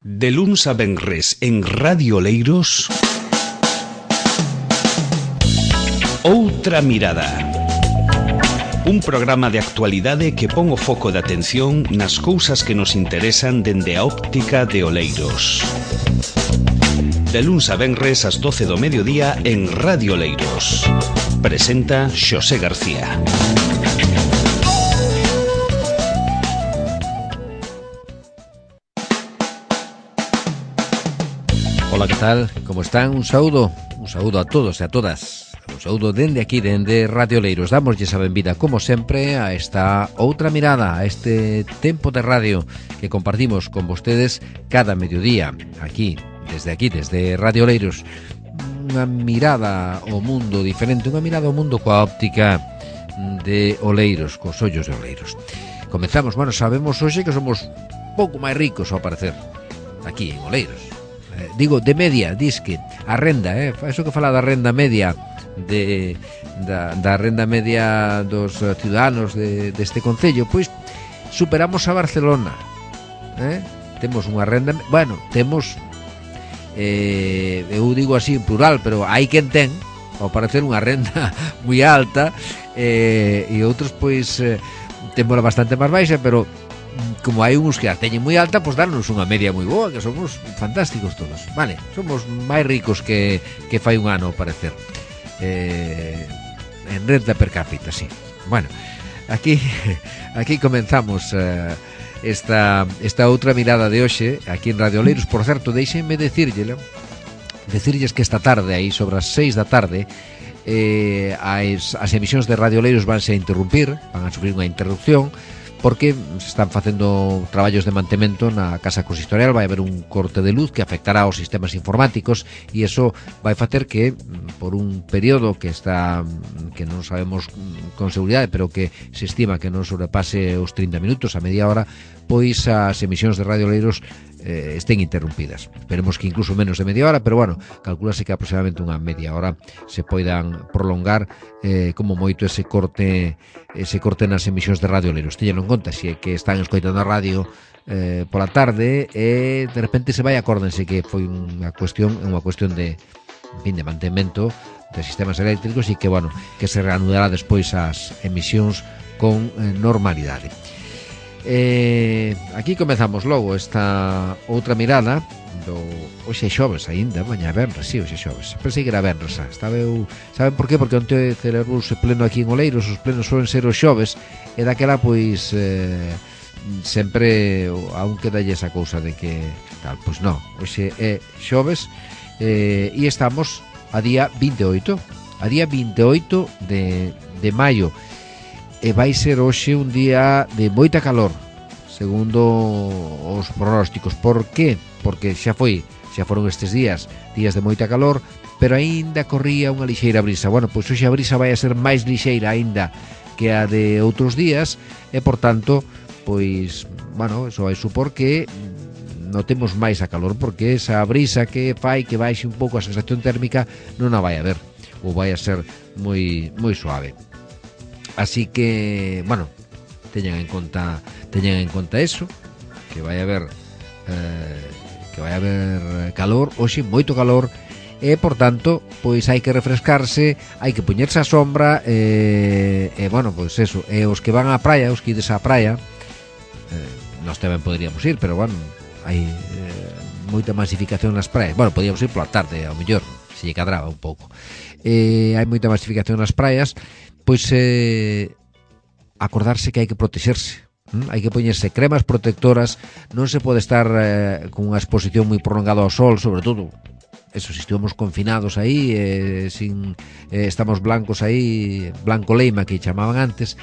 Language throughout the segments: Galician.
De luns a venres en Radio Oleiros, Outra Mirada. Un programa de actualidade que pon o foco de atención nas cousas que nos interesan dende a óptica de Oleiros. De luns a venres ás 12 do mediodía en Radio Oleiros. Presenta Xosé García. Ola, que tal? Como están? Un saúdo a todos e a todas. Un saúdo dende aquí, dende Radio Oleiros. Damoslle a benvida, como sempre, a esta outra mirada, a este tempo de radio que compartimos con vostedes cada mediodía, aquí, desde Radio Oleiros. Unha mirada ao mundo diferente, unha mirada ao mundo coa óptica de Oleiros, cos ollos de Oleiros. Comezamos, sabemos hoxe que somos pouco máis ricos ao parecer, aquí en Oleiros. Digo, de media, disque, a renda, eso que fala da renda media da renda media dos ciudadanos deste concello, pois superamos a Barcelona. Temos unha renda, temos, eu digo así en plural, pero hai quen ten, ao parecer, unha renda moi alta, e outros, pois, temos bastante máis baixa, pero como hai uns que a teñen moi alta, pois darnos unha media moi boa, que somos fantásticos todos. Vale, somos máis ricos que fai un ano, ao parecer. En renta per cápita, sí. Bueno, aquí comenzamos esta outra mirada de hoxe, aquí en Radio Oleiros. Por certo, deixenme decirlles que esta tarde, aí sobre as 6 da tarde, as emisións de Radio Oleiros vanse a interrumpir, van a sufrir unha interrupción, porque se están facendo traballos de mantemento na Casa Consistorial. Vai haber un corte de luz que afectará aos sistemas informáticos e iso vai facer que, por un período que non sabemos con seguridade, pero que se estima que non sobrepase os 30 minutos, a media hora, pois as emisións de Radio Oleiros estén interrumpidas. Esperemos que incluso menos de media hora, pero calculase que aproximadamente unha media hora se poidan prolongar como moito ese corte nas emisións de Radio Oleiros. Teñen en conta, se é que están escoitando a radio pola tarde e de repente se vai, acórdense que foi unha cuestión de mantemento de sistemas eléctricos e que se reanudará despois as emisións con normalidade. Aquí comezamos logo esta outra mirada do hoxe xoves aínda, mañá venres, si, hoxe xoves. Pensei que era venres, saben por qué? Porque onte celebrouse pleno aquí en Oleiros, os plenos suelen ser os xoves, e daquela pois sempre aún queda esa cousa de que tal, pois non, hoxe é xoves e estamos a día 28 de maio. E vai ser hoxe un día de moita calor, segundo os pronósticos. Por qué? Porque xa foron estes días de moita calor, pero aínda corría unha lixeira brisa. Pois hoxe a brisa vai a ser máis lixeira aínda que a de outros días e, por tanto, pois, eso vai supor que notemos máis a calor, porque esa brisa que fai que baixe un pouco a sensación térmica non a vai a ver, ou vai a ser moi suave. Así que, teñan en conta eso, que vai haber calor, hoxe moito calor, e, por tanto, pois hai que refrescarse, hai que poñerse á sombra, pois eso, e os que van á praia, os que ides á praia, nós tamén poderíamos ir, pero, hai moita masificación nas praias. Podíamos ir pola tarde, ao mellor, se lle cadraba un pouco. Hai moita masificación nas praias, pois acordarse que hai que protexerse, hai que poñerse cremas protectoras, non se pode estar con unha exposición moi prolongada ao sol, sobre todo eso, se estivemos confinados aí, estamos blancos aí, blanco leima que chamaban antes,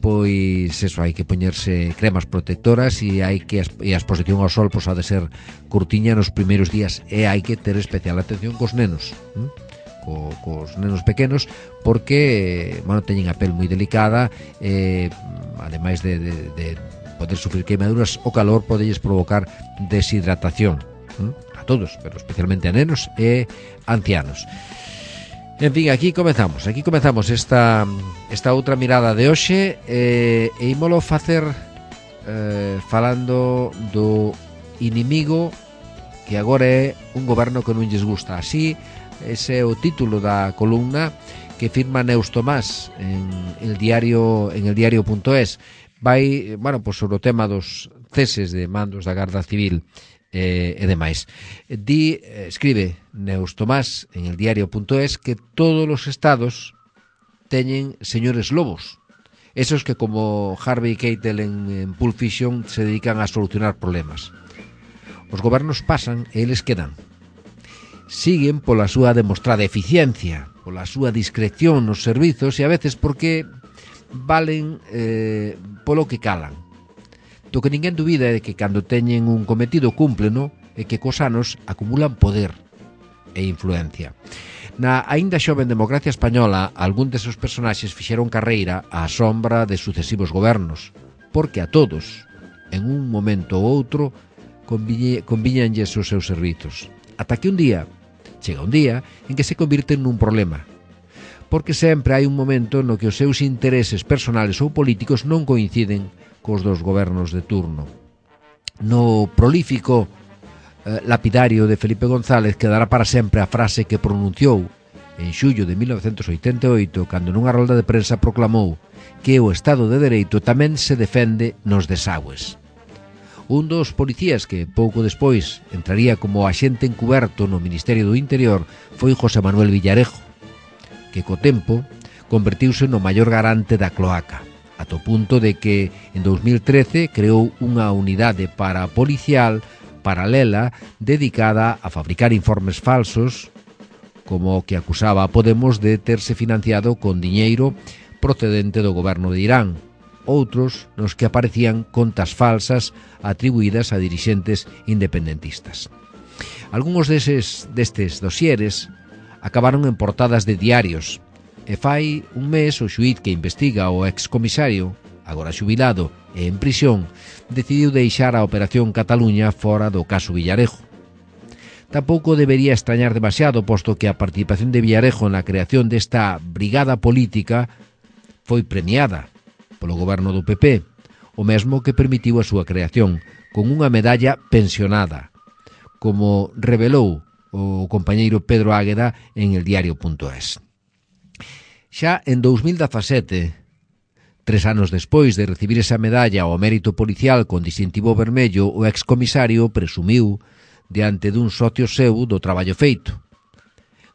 pois eso, hai que poñerse cremas protectoras e a exposición ao sol pois ha de ser curtiña nos primeiros días, e hai que ter especial atención cos nenos, cos nenos pequenos, porque teñen a pel moi delicada, ademais de poder sufrir queimaduras, o calor podelles provocar deshidratación a todos, pero especialmente a nenos e ancianos. En fin, aquí comezamos esta outra mirada de hoxe, e ímolo facer falando do inimigo que agora é un goberno que non lles gusta. Así, ese é o título da columna que firma Neus Tomás en el diario.es. Vai, pues sobre o tema dos ceses de mandos da Garda Civil e demais. Escribe Neus Tomás en el diario.es que todos os estados teñen señores lobos, esos que como Harvey Keitel en Pulp Fiction se dedican a solucionar problemas. Os gobernos pasan e eles quedan. Siguen pola súa demostrada eficiencia, pola súa discreción nos servizos e a veces porque valen polo que calan. Do que ninguén dubida é que cando teñen un cometido cúmpleno e que cos anos acumulan poder e influencia. Na aínda xoven democracia española, algún deses personaxes fixeron carreira á sombra de sucesivos gobernos, porque a todos, en un momento ou outro, convíñanlles os seus servizos. Ata que chega un día en que se convirten nun problema, porque sempre hai un momento no que os seus intereses personales ou políticos non coinciden cos dos gobernos de turno. No prolífico lapidario de Felipe González quedará para sempre a frase que pronunciou en xullo de 1988 cando nunha rolda de prensa proclamou que o Estado de Dereito tamén se defende nos desagües. Un dos policías que pouco despois entraría como axente encuberto no Ministerio do Interior foi José Manuel Villarejo, que co tempo convertiuse no maior garante da cloaca, ata o punto de que en 2013 creou unha unidade policial paralela dedicada a fabricar informes falsos, como o que acusaba a Podemos de terse financiado con diñeiro procedente do goberno de Irán, outros nos que aparecían contas falsas atribuídas a dirixentes independentistas. Algúns destes dosieres acabaron en portadas de diarios, e fai un mes o xuíz que investiga o excomisario, agora xubilado e en prisión, decidiu deixar a Operación Cataluña fora do caso Villarejo. Tampouco debería extrañar demasiado, posto que a participación de Villarejo na creación desta brigada política foi premiada polo goberno do PP, o mesmo que permitiu a súa creación, con unha medalla pensionada, como revelou o compañeiro Pedro Águeda en el diario.es. Xa en 2017, 3 anos despois de recibir esa medalla ao mérito policial con distintivo vermello, o excomisario presumiu diante dun socio seu do traballo feito.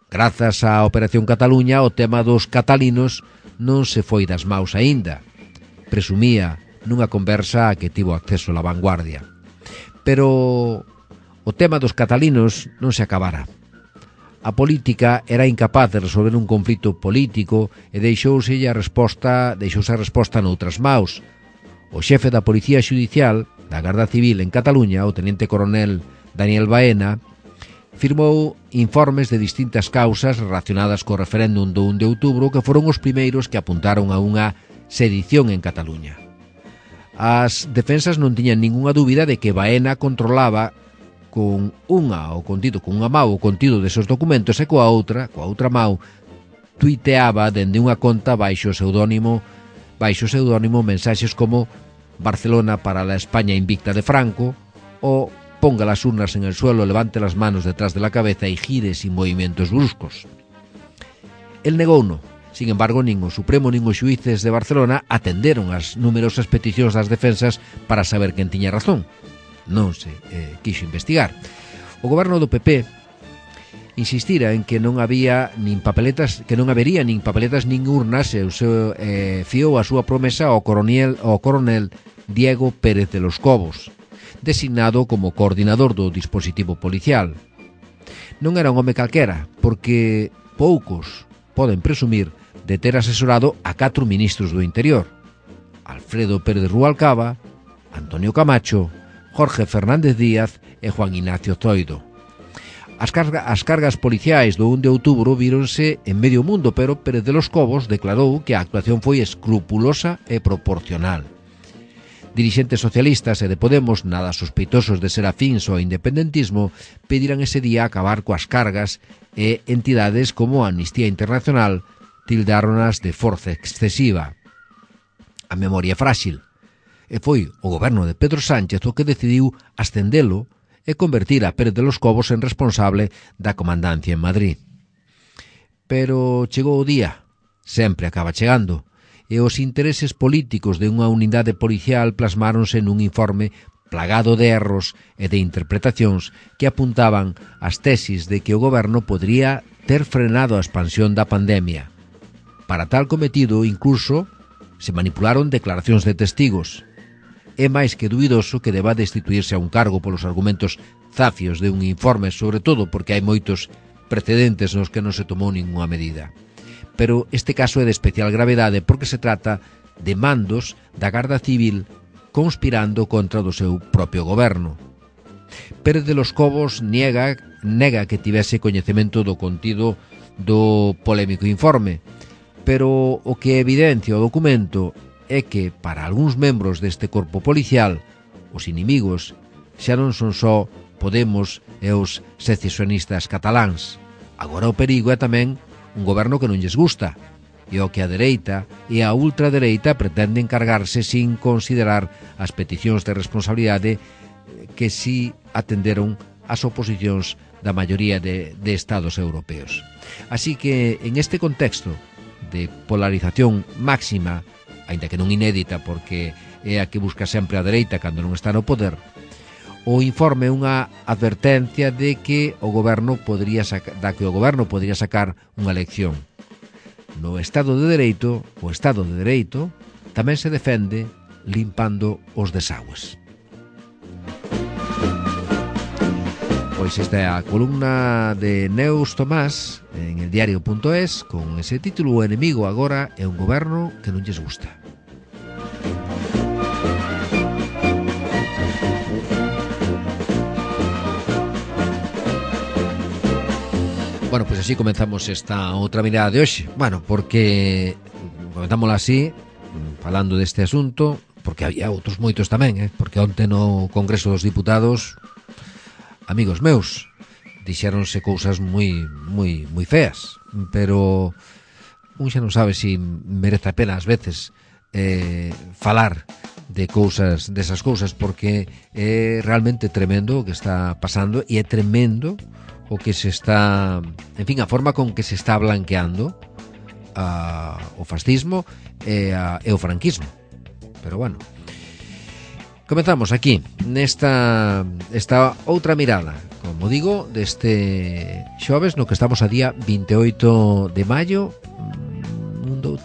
Grazas á Operación Cataluña, o tema dos catalinos non se foi das maus aínda, presumía nunha conversa a que tivo acceso a La Vanguardia. Pero o tema dos catalinos non se acabara. A política era incapaz de resolver un conflito político e deixouse a resposta noutras maus. O xefe da Policía Xudicial da Garda Civil en Cataluña, o teniente coronel Daniel Baena, firmou informes de distintas causas relacionadas co referéndum do 1 de outubro que foron os primeiros que apuntaron a unha sedición en Cataluña. As defensas non tiñan ningunha dúbida de que Baena controlaba con unha mao o contido desos documentos e coa outra mao tuiteaba dende unha conta baixo pseudónimo mensaxes como Barcelona para la España invicta de Franco o ponga las urnas en el suelo, levante las manos detrás de la cabeza y gire sin movimientos bruscos. El negouno. Sin embargo, nin o Supremo nin os xuíces de Barcelona atenderon as numerosas peticións das defensas para saber quen tiña razón. Non se quixo investigar. O goberno do PP insistira en que non habería nin papeletas nin urnas e fiou a súa promesa ao coronel Diego Pérez de los Cobos, designado como coordinador do dispositivo policial. Non era un home calquera, porque poucos poden presumir de ter asesorado a 4 ministros do Interior: Alfredo Pérez Rubalcaba, Antonio Camacho, Jorge Fernández Díaz e Juan Ignacio Zoido. As cargas policiais do 1 de outubro víronse en medio mundo, pero Pérez de los Cobos declarou que a actuación foi escrupulosa e proporcional. Dirixentes socialistas e de Podemos, nada sospeitosos de ser afíns ao independentismo, pediran ese día acabar coas cargas e entidades como a Amnistía Internacional tildáronas de forza excesiva. A memoria frágil. E foi o goberno de Pedro Sánchez o que decidiu ascendelo e convertir a Pérez de los Cobos en responsable da comandancia en Madrid. Pero chegou o día, sempre acaba chegando, e os intereses políticos de unha unidade policial plasmáronse nun informe plagado de erros e de interpretacións que apuntaban as tesis de que o goberno podría ter frenado a expansión da pandemia. Para tal cometido, incluso, se manipularon declaracións de testigos. É máis que dubidoso que deba destituirse a un cargo polos argumentos zafios de un informe, sobre todo porque hai moitos precedentes nos que non se tomou ninguna medida. Pero este caso é de especial gravedade porque se trata de mandos da Garda Civil conspirando contra do seu propio goberno. Pérez de los Cobos nega que tivese coñecemento do contido do polémico informe, pero o que evidencia o documento é que, para algúns membros deste corpo policial, os inimigos xa non son só Podemos e os secesionistas cataláns. Agora o perigo é tamén un goberno que non lles gusta, e o que a dereita e a ultradereita pretenden cargarse sin considerar as peticións de responsabilidade que si atenderon as oposicións da maioría de estados europeos. Así que, en este contexto de polarización máxima, aínda que non inédita porque é a que busca sempre a dereita cando non está no poder, o informe é unha advertencia de que o goberno podría sacar unha lección. No Estado de Dereito, o Estado de Dereito tamén se defende limpando os desagües. Pois esta é a columna de Neus Tomás en el diario.es con ese título: O enemigo agora é un goberno que non lles gusta. Bueno, pois así comenzamos esta outra mirada de hoxe. Bueno, porque comentámosla así, falando deste asunto, porque había outros moitos tamén, porque onte no Congreso dos Diputados, amigos meus, dixéronse cousas moi feas, pero un xa non sabe se merece a pena ás veces falar de cousas, desas cousas, porque é realmente tremendo o que está pasando, e é tremendo o que se está, en fin, a forma con que se está blanqueando o fascismo e o franquismo. Pero bueno, comenzamos aquí nesta outra mirada, como digo, deste xoves no que estamos a día 28 de maio.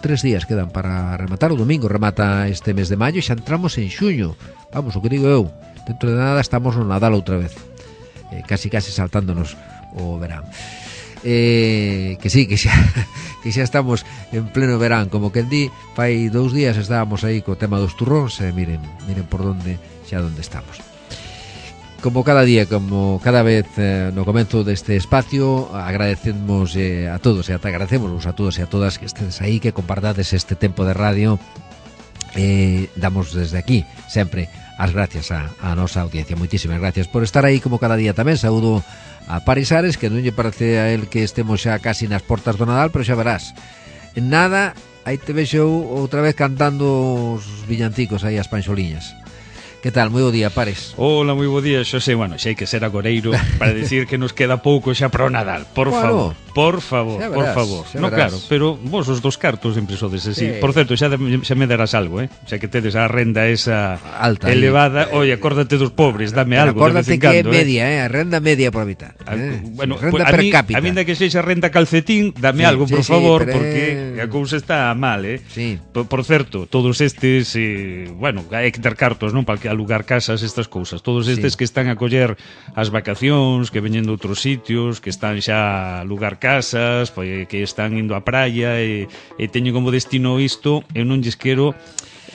3 días quedan para rematar. O domingo remata este mes de maio e xa entramos en xuño. Vamos, o que digo eu, dentro de nada estamos no Nadal outra vez, casi saltándonos o verán. Que sí, que xa estamos en pleno verán, como quen di. Fai 2 días estábamos aí co tema dos turróns e miren por onde estamos. Como cada día, como cada vez no comezo deste espacio, agradecemos a todos e agradecemos a todos e a todas que estedes aí, que compartades este tempo de radio. Damos desde aquí sempre as gracias a nosa audiencia. Moitísimas gracias por estar aí como cada día tamén. Saúdo a Paris Ares, que non lle parece a él que estemos xa casi nas portas do Nadal, pero xa verás, en nada aí te vexo outra vez cantando os villancicos aí as panxoliñas. Que tal? Moi bo día, Pares. Hola, moi bo día, Xosé. Bueno, xa hai que ser agoreiro para decir que nos queda pouco xa para o Nadal. Por favor. No, claro, pero vos os dos cartos sempre sodes así. Por certo, xa me darás algo, xa que tedes a renda esa alta elevada. Oye, acórdate dos pobres, dame algo. Acórdate que é media, a renda media por habitar. Bueno, renda per cápita. A minda que sexa renda calcetín, dame algo, por favor, porque a cousa está mal, Sí. Por certo, todos estes, bueno, hai que ter cartos, non? Para que alugar casas, estas cousas. Todos estes que están a coller as vacacións, que veñen de outros sitios, que están xa a alugar casas, que están indo á praia e teñen como destino isto, eu non lles quero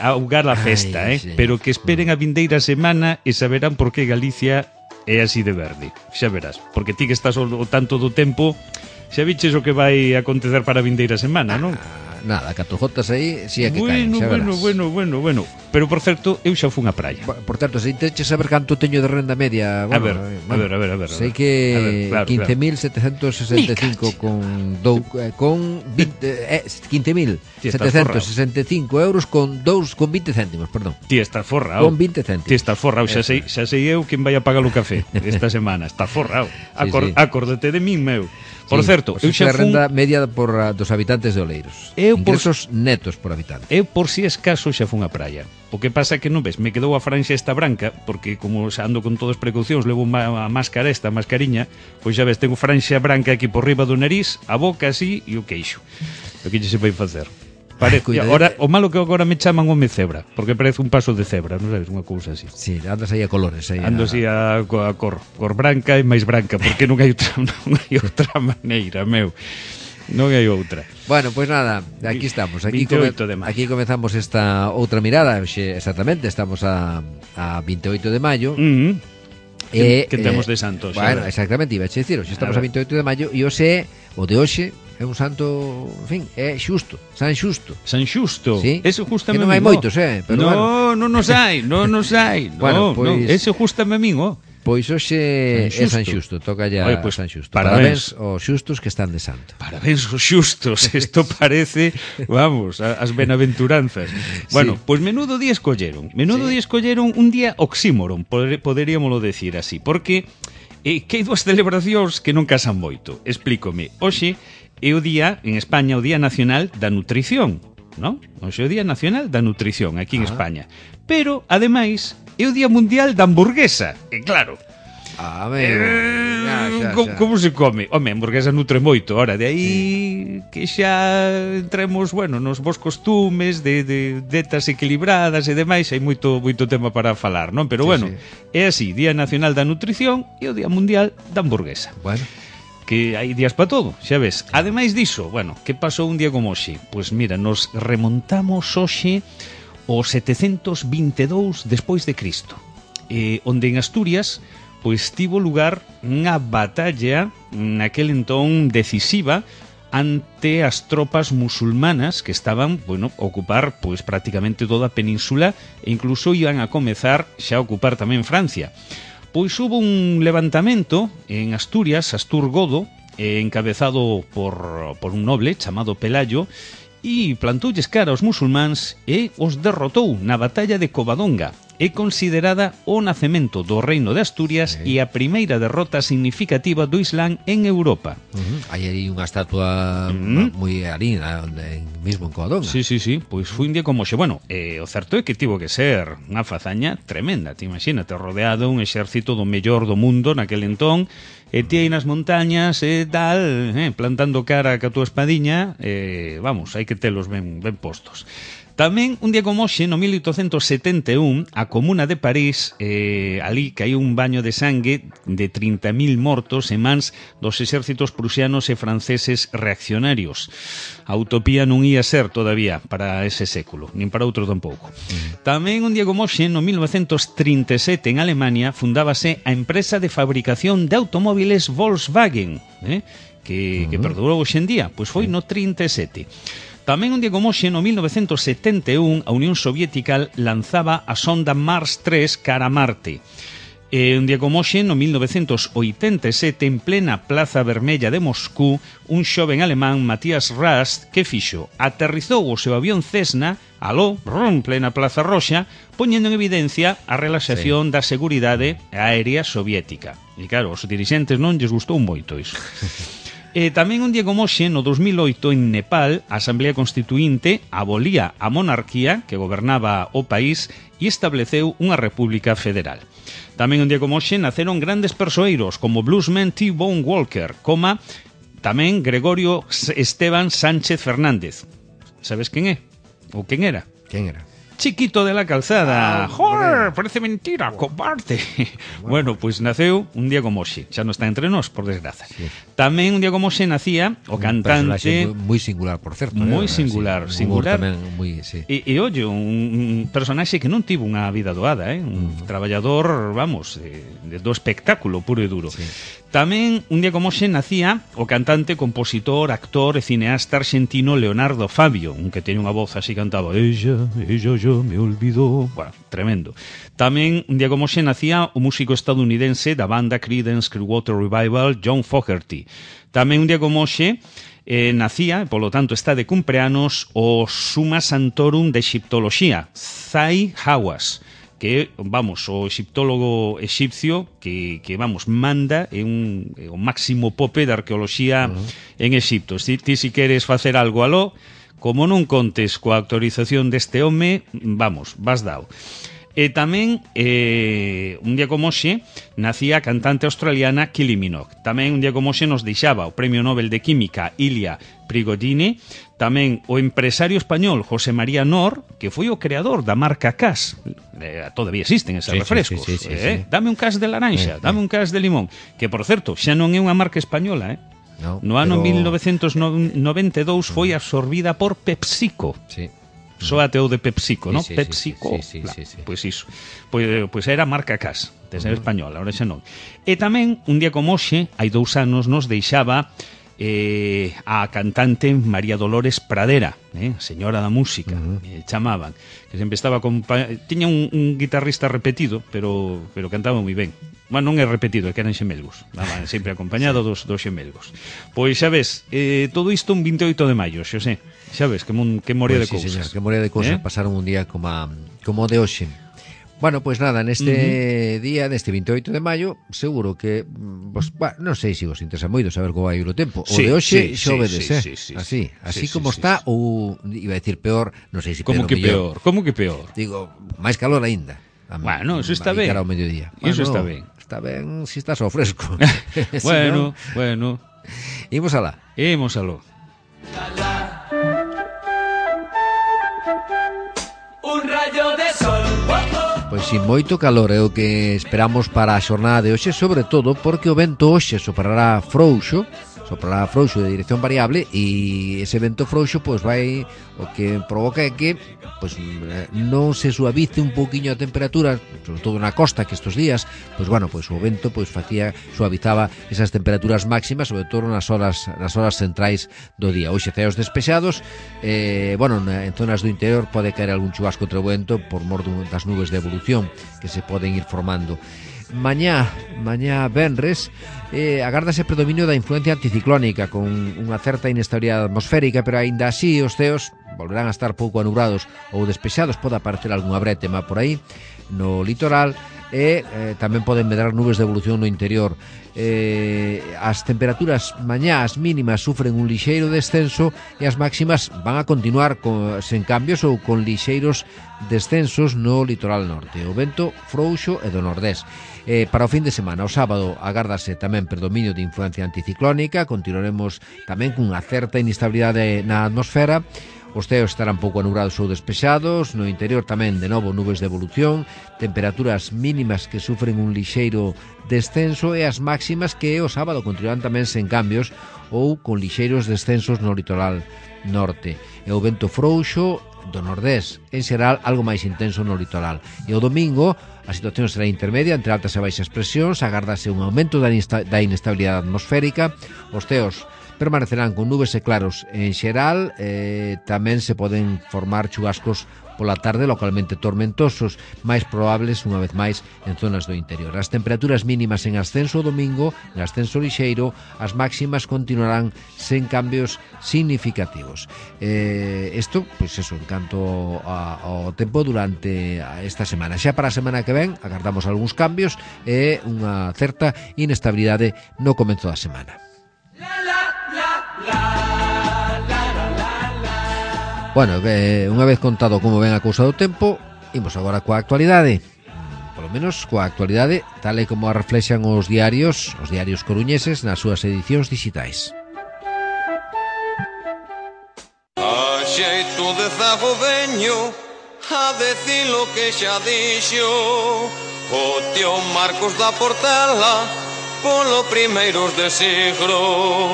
augar a festa, pero que esperen a vindeira semana e saberán por que Galicia é así de verde. Xa verás, porque ti que estás o tanto do tempo, xa viches o que vai acontecer para a vindeira semana, non? nada, 4 gotas aí, si é que caen, xa verás. Bueno. Pero, por certo, eu xa fun á praia. Por certo, se inteches saber canto teño de renda media, bueno, a ver. sei que 15.765 con 15.765 euros con 20 céntimos, perdón. Ti estás forrao. Con 20 céntimos. Ti estás forrao, xa sei eu quen vai a pagar o café esta semana. Estás forrao. Acórdate de min, meu. Por certo, eu xa fun... renda media dos habitantes de Oleiros. Ingresos netos por habitante. Eu, por si escaso, xa fun á praia. O que pasa é que non ves, me quedou a franxa esta branca, porque como xa ando con todas as precaucións, levo a máscara esta, a mascariña, pois xa ves, tengo franxa branca aquí por riba do nariz, a boca así e o queixo. O que se vai facer? Ahora, o malo que agora me chaman home cebra, porque parece un paso de cebra, non sabes, unha cousa así. Sí, andas aí a colores. Ando así a cor branca e máis branca, porque non hai outra maneira, meu. Non hai outra. Bueno, pois nada, aquí estamos. Aquí comezamos esta outra mirada. Exactamente, estamos a 28 de maio. Que temos de santo. Bueno, exactamente, iba a dicir, hoxe estamos a 28 de maio e hoxe, o de hoxe, é un santo, en fin, é xusto, San Xusto. San Xusto? Sí. Ese justame que non hai moitos, pero bueno. Non nos hai. Bueno, pois... ese justame a min, Pois hoxe é San Xusto, toca ya pues, San Xusto. Parabéns aos xustos que están de santo. Parabéns aos xustos, isto parece, vamos, as benaventuranzas. Bueno, sí. Pois menudo día escolleron. Día escolleron un día oxímoron, poderíamoslo decir así, porque que hai dúas celebracións que non casan moito. Explícome. Hoxe é o día, en España, o Día Nacional da Nutrición, non? Hoxe é o Día Nacional da Nutrición, aquí en España. Pero, ademais, é o Día Mundial da Hamburguesa. E claro, como se come? Home, a hamburguesa nutre moito. Ora, de aí que xa entremos, bueno, nos vos costumes de dietas equilibradas e demais, hai moito tema para falar, non? Pero bueno, é así, Día Nacional da Nutrición e o Día Mundial da Hamburguesa. Bueno, que hai días para todo, xa ves. Ademais diso, bueno, que pasou un día como hoxe? Pois mira, nos remontamos hoxe o 722 despois de Cristo, onde en Asturias pois tivo lugar unha batalla naquel entón decisiva ante as tropas musulmanas que estaban, bueno, a ocupar pois prácticamente toda a península e incluso iban a comezar xa a ocupar tamén Francia. Pois hubo un levantamento en Asturias, Asturgodo, encabezado por un noble chamado Pelayo, e plantoulles cara aos musulmáns e os derrotou na batalla de Covadonga. É considerada o nacemento do reino de Asturias e a primeira derrota significativa do Islán en Europa. Hai aí unha estatua moi ali, mesmo en Covadonga. Sí, pois foi un día como xe. Bueno, o certo é que tivo que ser unha fazaña tremenda. Te imagínate, rodeado un exército do mellor do mundo naquel entón, e ti aí nas montañas e tal, plantando cara ca túa espadiña, vamos, hai que telos ben postos. Tamén, un día como hoxe, no 1871, a Comuna de París, ali caíu un baño de sangue de 30.000 mortos en mans dos exércitos prusianos e franceses reaccionarios. A utopía non ia ser todavía para ese século, nin para outro tampouco. Tamén, un día como hoxe, no 1937, en Alemania, fundábase a empresa de fabricación de automóviles Volkswagen, que perdurou hoxe en día, pois foi no 37. Tamén un día como hoxe, no 1971, a Unión Soviética lanzaba a sonda Mars 3 cara a Marte. Un día como hoxe, no 1987, en plena Plaza Vermella de Moscú, un xoven alemán, Matthias Rast, que fixo? Aterrizou o seu avión Cessna, plena Plaza Roxa, poñendo en evidencia a relaxación da seguridade aérea soviética. E claro, os dirixentes non lles gustou moito iso. Tamén un día como hoxe, no 2008, en Nepal, a Asamblea Constituinte abolía a monarquía que gobernaba o país e estableceu unha república federal. Tamén un día como hoxe naceron grandes persoeiros como bluesman T-Bone Walker, como tamén Gregorio Esteban Sánchez Fernández. Sabes quen é? Ou quen era? Quen era? Chiquito de la Calzada. ¡Joder! Parece mentira, cobarde. Bueno, pues naceu un día como hoxe. Xa non está entre nós, por desgraza. Sí. Tamén un día como hoxe nacía o cantante... Moi singular, por certo. Moi singular, sí, singular. Tamén moi, sí. E ollo, un personaxe que non tivo unha vida doada, un traballador, vamos, do espectáculo puro e duro. Sí. Tamén, un día como hoxe, nacía o cantante, compositor, actor e cineasta argentino Leonardo Fabio, un que teña unha voz así, cantaba Ella yo me olvidó. Bueno, tremendo. Tamén, un día como hoxe, nacía o músico estadounidense da banda Creedence Clearwater Revival, John Fogerty. Tamén, un día como hoxe, nacía, polo tanto está de cumpleanos, o Summa Santorum de Egiptoloxía, Zahi Hawass, que, vamos, o egiptólogo exipcio que vamos, manda o máximo pope da arqueoloxía en Egipto. Ti si queres facer algo aló, como non contes coa autorización deste home, vamos, vas dao. E tamén, un día como hoxe, nacía a cantante australiana Kylie Minogue. Tamén, un día como hoxe, nos deixaba o Premio Nobel de Química Ilya Prigogine. Tamén o empresario español José María Nor, que foi o creador da marca Cas. Todavía existen esos refrescos. Sí. Dame un Cas de laranxa, dame un Cas de limón. Que, por certo, xa non é unha marca española, no ano 1992 foi absorbida por PepsiCo. Sí. Soate o de PepsiCo, ¿no? PepsiCo. Sí. Pois iso. Pois era a marca Cas, de ser española, ahora xa non. E tamén, un día como hoxe, hai 2 anos, nos deixaba a cantante María Dolores Pradera, señora da música, chamaban, que sempre estaba tiña un guitarrista repetido, pero cantaba moi ben. Bueno, non é repetido, é que eran xemelgos, sempre acompañado dos xemelgos. Pois xa ves, todo isto un 28 de maio, Xosé, xa ves, que moría de cousas. Señor, que moría de cousas, pasaron un día como de hoxe. Bueno, pois nada, neste día, neste 28 de maio, seguro que, non sei se vos interesa moito saber como vai o tempo. O de hoxe xovedes, así como está, ou, iba a decir peor, non sei se peor ou mellor. Como que peor? Digo, máis calor aínda. Bueno, eso está ben. Cara ao mediodía. Eso está ben. Está ben se estás ao fresco. Bueno. Imos alá. Un rayo de sol. Pois sin moito calor é o que esperamos para a xornada de hoxe, sobre todo porque o vento hoxe soprará frouxo de dirección variable, e ese vento frouxo pois vai, o que provoca é que pois non se suavice un pouquiño a temperatura, sobre todo na costa, que estes días, pois bueno, pois o vento pois suavizaba esas temperaturas máximas, sobre todo nas horas centrais do día. Hoxe ceos despexados, en zonas do interior pode caer algún chubasco entre o vento por mor das nubes de evolución que se poden ir formando. Mañá venres, agárdase predominio da influencia anticiclónica con unha certa inestabilidade atmosférica, pero aínda así os ceos volverán a estar pouco anubrados ou despexados. Pode aparecer algunha brétema por aí no litoral e tamén poden medrar nubes de evolución no interior. As temperaturas mañá, as mínimas, sufren un lixeiro descenso e as máximas van a continuar sen cambios ou con lixeiros descensos no litoral norte. O vento frouxo e do nordés. Para o fin de semana, o sábado, agárdase tamén predominio de influencia anticiclónica. Continuaremos tamén cunha certa inestabilidade na atmosfera. Os ceos estarán pouco anubrados ou despexados. No interior tamén, de novo, nubes de evolución, temperaturas mínimas que sufren un lixeiro descenso e as máximas que o sábado continuarán tamén sen cambios ou con lixeiros descensos no litoral norte. E o vento frouxo do nordés, en xeral algo máis intenso no litoral. E o domingo a situación será intermedia entre altas e baixas presións, agárdase un aumento da inestabilidade atmosférica. Os ceos permanecerán con nubes e claros en xeral, tamén se poden formar chubascos pola tarde localmente tormentosos, máis probables unha vez máis en zonas do interior. As temperaturas mínimas en ascenso o domingo, en ascenso lixeiro, as máximas continuarán sen cambios significativos. Isto, pois eso, en canto ao tempo durante esta semana. Xa para a semana que ven, agardamos algúns cambios e unha certa inestabilidade no comenzo da semana. Bueno, unha vez contado como ven a cousa do tempo, imos agora coa actualidade. Polo menos coa actualidade tal e como a reflexan os diarios coruñeses nas súas edicións digitais. A xeito de zago veño, a decir lo que xa dixo o tío Marcos da Portela polo primeiros de siglo,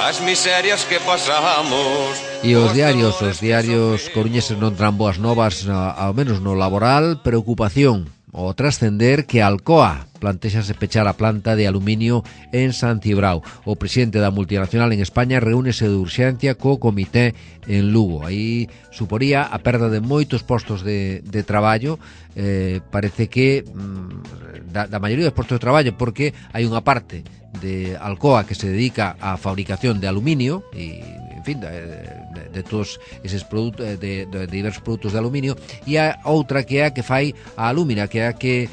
as miserias que pasamos. E os diarios coruñeses non tran boas novas, ao menos no laboral. Preocupación o trascender que Alcoa plantexase pechar a planta de aluminio en San Cibrao. O presidente da multinacional en España reúnese de urxencia co comité en Lugo. Aí suporía a perda de moitos postos de traballo. Parece que da maioría dos postos de traballo, porque hai unha parte de Alcoa que se dedica á fabricación de aluminio e, en fin, de todos eses produtos, de diversos produtos de aluminio, e a outra que é a que fai a alúmina, que é a que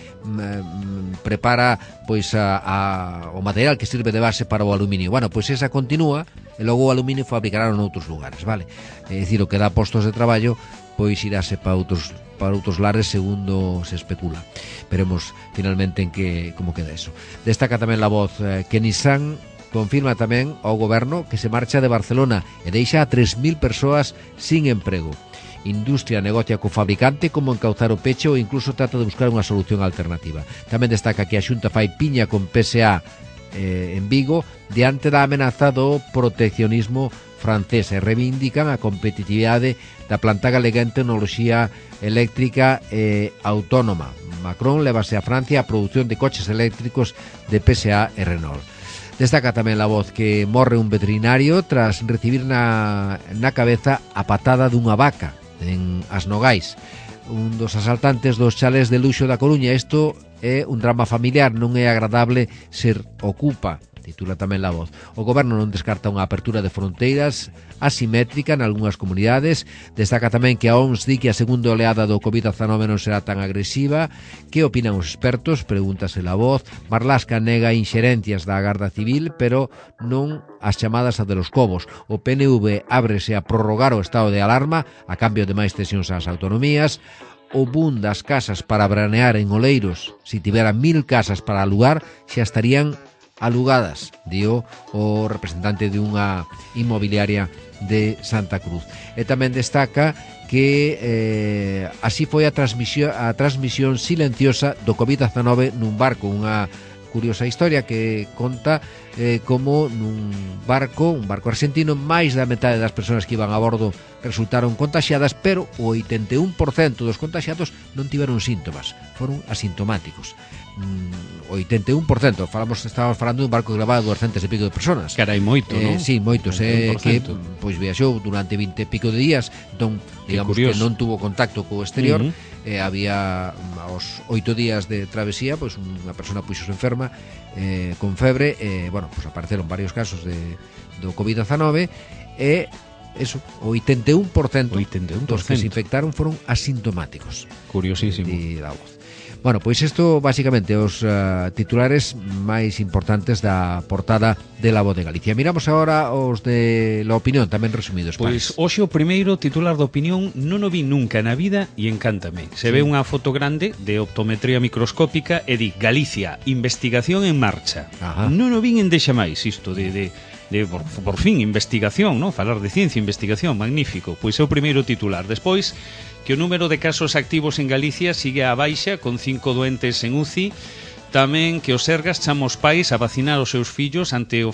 prepara pois o material que sirve de base para o aluminio. Bueno, pois esa continúa e logo o aluminio fabricará en outros lugares, vale? É dicir, o que dá postos de traballo pois iráse para outros lares, segundo se especula. Veremos finalmente en que como queda eso. Destaca tamén La Voz que Nissan confirma tamén ao goberno que se marcha de Barcelona e deixa a 3.000 persoas sin emprego. Industria negocia co fabricante como encauzar o peche ou incluso trata de buscar unha solución alternativa. Tamén destaca que a Xunta fai piña con PSA en Vigo diante da amenaza do proteccionismo francés e reivindican a competitividade da planta galega en tecnoloxía eléctrica e autónoma. Macron levase a Francia a produción de coches eléctricos de PSA e Renault. Destaca tamén La Voz que morre un veterinario tras recibir na cabeza a patada dunha vaca en As Nogais. Un dos asaltantes dos chales de luxo da Coruña. Isto é un drama familiar, non é agradable ser ocupa, titula tamén La Voz. O goberno non descarta unha apertura de fronteiras asimétrica en algunhas comunidades. Destaca tamén que a OMS di que a segunda oleada do COVID-19 non será tan agresiva. Que opinan os expertos? Pregúntase La Voz. Marlaska nega inxerencias da Garda Civil, pero non as chamadas a de los Cobos. O PNV ábrese a prorrogar o estado de alarma a cambio de máis cesións ás autonomías. O boom das casas para branear en Oleiros, si tivera 1000 casas para alugar, xa estarían alugadas, dio o representante de unha inmobiliaria de Santa Cruz. E tamén destaca que así foi a transmisión silenciosa do COVID-19 nun barco, unha curiosa historia que conta como nun barco, un barco argentino, máis da metade das persoas que iban a bordo resultaron contaxiadas, pero o 81% dos contaxiados non tiveron síntomas, foron asintomáticos. 81%, estábamos falando dun barco que levaba 200 e pico de personas. Carai, moito, non? Sí, moitos, que pois viaxou durante 20 e pico de días, entón, digamos que non tuvo contacto co exterior. Había aos 8 días de travesía, pois unha persona puxose enferma con febre, bueno, pois apareceron varios casos do COVID-19 e eso, o 81% dos que se infectaron foron asintomáticos. Curiosísimo. De La Voz. Bueno, pois isto basicamente os titulares máis importantes da portada de La Voz de Galicia. Miramos agora os de La Opinión, tamén resumidos. Pois hoxe o primeiro titular da Opinión non o vi nunca na vida e encántame. Se ve unha foto grande de optometría microscópica e di Galicia, investigación en marcha. Non o vin en deixa máis isto de por fin, investigación, ¿no? Falar de ciencia, investigación, magnífico. Pois é o primeiro titular. Despois, que o número de casos activos en Galicia sigue á baixa, con 5 doentes en UCI. Tamén que os Sergas chama os pais a vacinar os seus fillos ante o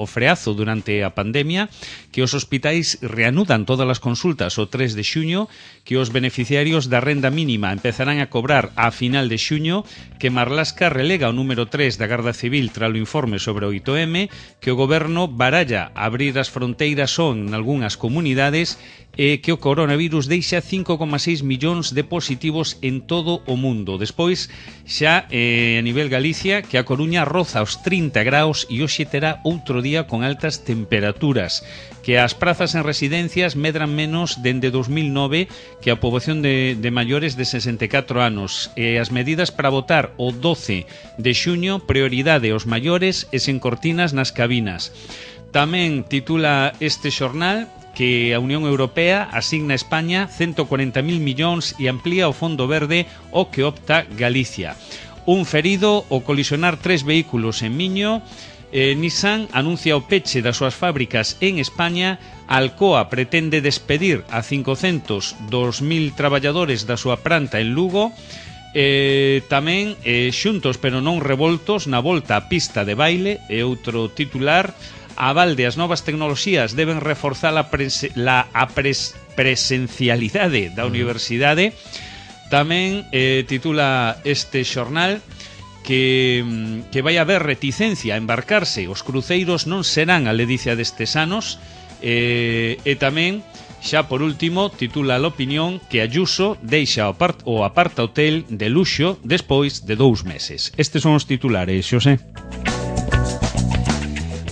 freazo durante a pandemia, que os hospitais reanudan todas as consultas o 3 de xuño, que os beneficiarios da renda mínima empezarán a cobrar a final de xuño, que Marlaska relega o número 3 da Garda Civil tras o informe sobre o 8M, que o goberno baralla abrir as fronteiras son en algunhas comunidades e que o coronavirus deixa 5,6 millóns de positivos en todo o mundo. Despois, xa a nivel Galicia, que a Coruña roza os 30 graus e hoxe terá outro día con altas temperaturas, que as prazas en residencias medran menos dende 2009 que a poboación de maiores de 64 anos, e as medidas para votar o 12 de xuño, prioridade aos maiores e sen cortinas nas cabinas. Tamén titula este xornal que a Unión Europea asigna a España 140.000 millóns e amplía o Fondo Verde o que opta Galicia. Un ferido ao colisionar 3 vehículos en Miño, Nissan anuncia o peche das súas fábricas en España. Alcoa pretende despedir a 500 dos 1000 traballadores da súa planta en Lugo. Tamén xuntos pero non revoltos na volta á pista de baile é outro titular. A balde as novas tecnoloxías deben reforzar a presencialidade da universidade. Tamén titula este xornal que vai haber reticencia a embarcarse. Os cruceiros non serán a ledicia destes anos. E tamén, xa por último, titula a L'Opinión que Ayuso deixa o aparta hotel de luxo despois de 2 meses. Estes son os titulares, Xosé.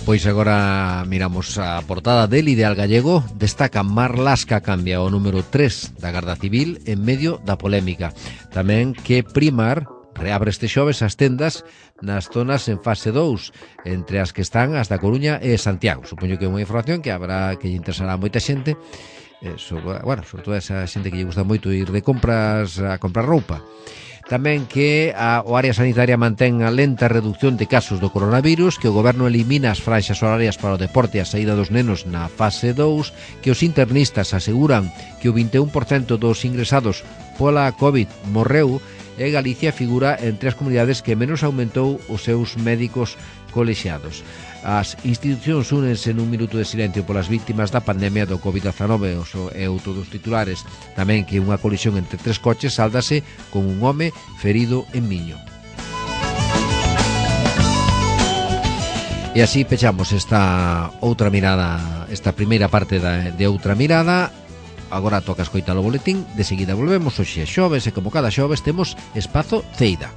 Pois agora miramos a portada del Ideal Gallego. Destaca Marlaska cambia o número 3 da Garda Civil en medio da polémica. Tamén que Primar reabre este xoves as tendas nas zonas en fase 2, entre as que están as da Coruña e Santiago. Supoño que é unha información que habrá que lle interesará a moita xente, sobre todo a esa xente que lle gusta moito ir de compras a comprar roupa. Tamén que o área sanitaria mantén a lenta reducción de casos do coronavirus, que o goberno elimina as franxas horarias para o deporte e a saída dos nenos na fase 2, que os internistas aseguran que o 21% dos ingresados pola COVID morreu, e Galicia figura entre as comunidades que menos aumentou os seus médicos colexiados. As institucións únense nun minuto de silencio polas víctimas da pandemia do COVID-19 e outro dos titulares. Tamén que unha colisión entre 3 coches sáldase con un home ferido en Miño. E así pechamos esta outra mirada, esta primeira parte de Outra Mirada. Agora toca escoitar o boletín, de seguida volvemos. Hoxe é xoves e como cada xoves temos Espazo Ceida.